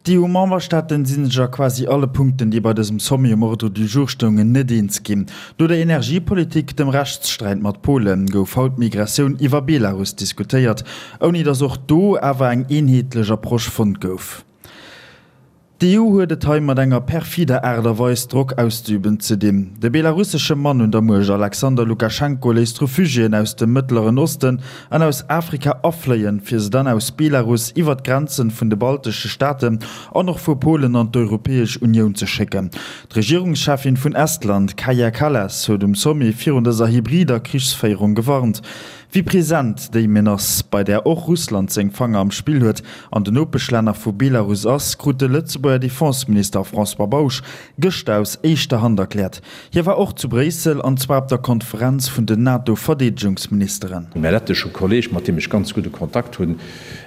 D'EU-Memberstaaten si sech a quasi alle Punkten, déi bei dësem Sommet um Ordre du jour stoungen, net eens ginn. No der Energiepolitik, dem Rechtssträit mat Polen, gouf haut d'Migratioun iwwer Belarus diskutéiert, ouni datt och do awer eng eenheetlech Approche fonnt gouf. D'EU huet et hei mat enger perfider Aart a Weis, Drock auszeüben, ze dinn. De belarussesche Mann un der Muecht, Alexander Lukaschenko, léisst Refugiéen aus dem Mëttleren Osten an aus Afrika afléien, fir se dann aus Belarus iwwer d'Grenzen vun de baltesche Staaten an och vu Polen an d'Europäesch Unioun ze schécken. D'Regierungscheffin vun Estland, Kaja Kallas, huet um Sommet virun dëser hybrider Krichsféierung gewarnt. Wéi present déi Menace, bei där och Russland seng Fanger am Spill huet, an den Nopeschlänner vu Belarus ass, krut de Lëtzebuerger Defenseminister François Bausch gëschter aus éischter Hand erkläert. Hie war och zu Bréissel, an zwar op der Konferenz vun den NATO-Verdeedegungsministeren. Mäi lettesche Kolleg, mat deem ech ganz gudde Kontakt hunn,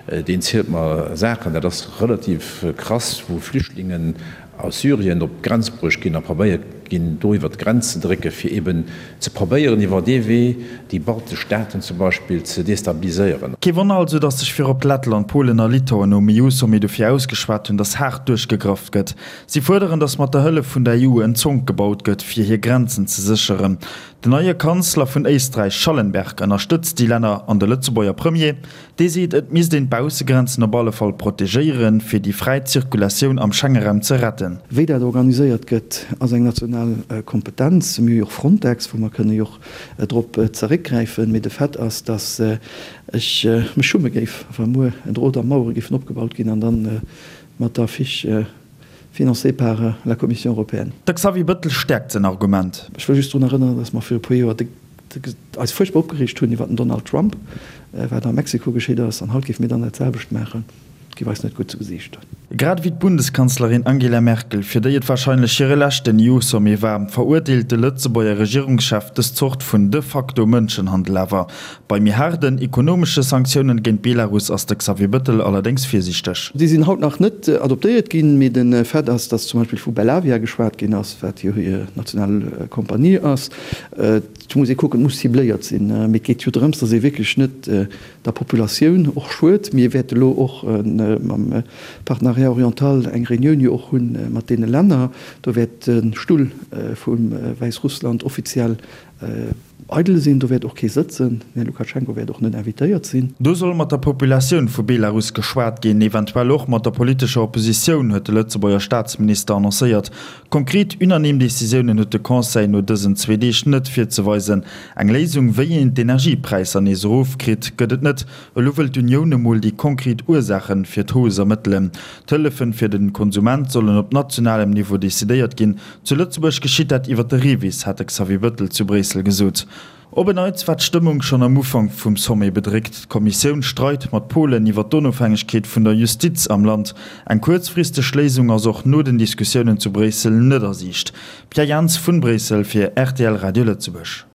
deen zielt mer Saachen, dat ass relativ krass, wou Flüchtlingen aus Syrien op d'Grenz bruecht ginn a probéiert ginn, do iwwer d'Grenz ze drécken, fir eben ze probéieren, iwwer dee Wee déi baltesch Staaten zum Beispill ze destabiliséieren. Kee Wonner also, datt sech virop Lettland, Polen a Litauen nom EU-Sommet dofir ausgeschwat hunn, datt haart duerchgegraff gëtt. Si fuerderen, datt mat der Hëllef vun der EU en Zonk gebaut gëtt, fir hir Grenzen ze sécheren. Den neie Kanzler vun Éisträich, Schallenberg, ënnerstëtzt déi Länner an de Lëtzebuerger Premier, Dee seet, et misst een d'Baussegrenzen op alle Fall protegéieren, fir déi fräi Zirkulatioun am Schengeraum ze retten. Wéi dat organiséiert gëtt, ass eng national Kompetenz. Mir hu jo och Frontex, wou mer kënne jo och drop zeréckgräifen. Mee de Fait ass, datt ech mech schumme géif, wa muer en Drot a Mauere géifen opgebaut ginn an da mat der Affiche financé par la Commission européenne. De Xavier Bëttel stäerkt säin Argument. Ech wëll just drun erënneren, datt mer viru e puer Joer de. eis fuerchtbar opgereegt hunn iwwer den Donald Trump, wat a Mexiko geschitt ass, an haut géife mir dann dat selwecht maachen, géif eis net gutt zu Gesiicht. Grad ewéi d'Bundeskanzlerin Angela Merkel, fir déi et warscheinlech hire leschten EU-Sommet war, verurteelt de Lëtzebuerger Regierungschef dës Zort vun de facto Mënschenhandel awer. Bei méi haarden ekonomesche Sanktiounen géint Belarus ass de Xavier Bëttel allerdéngs virsiichteg. Déi sinn haut nach net adoptéiert ginn, mee de Fait ass, datt zum Beispill vu Belavia geschwat ginn ass, wat jo hir national Kompanie ass. Et muss ee kucken, et muss cibléiert sinn. Mee et geet jo drëms, datt ee wierklech net der Populatioun och schued. Mir wäerte lo och mam Partenariat oriental eng Reunioun jo och hu mat deene Länner. Do wäert de Stull vu Wäissrussland offiziell eidel sinn. Do wäert och kee sëtzen. Den Här Lukaschenko wäert och net invitéiert sinn. Do soll mat der Populatioun vu Belarus geschwat ginn, eventuell och mat der politescher Oppositioun, huet de Lëtzebuerger Staatsminister annoncéiert. Konkret unanime Decisiounen huet de Conseil no dësen zwee Deeg net virzeweisen. Eng Léisung, wéi een d'Energiepräisser nees erofkritt, gëtt et net. Elo wëll d'Unioun emol déi konkret Ursaache fir d'Hausse ermëttelen. D'Hëllefen fir de Konsument sollen op nationalem Niveau decidéiert ginn. Zu Lëtzebuerg geschitt dat iwwer de REVIS, hat de Xavier Bëttel zu Bréissel gesot. Op en Neits war d'Stëmmung schonn am Ufank vum Sommet bedréckt. D'Kommissioun streit mat Polen iwwer d'Onofhängegkeet vun der Justiz am Land. Eng kuerzfristeg Léisung ass och no den Diskussiounen zu Bréissel net a Siicht. Pierre Jans vun Bréissel fir rtl Radio Lëtzebuerg.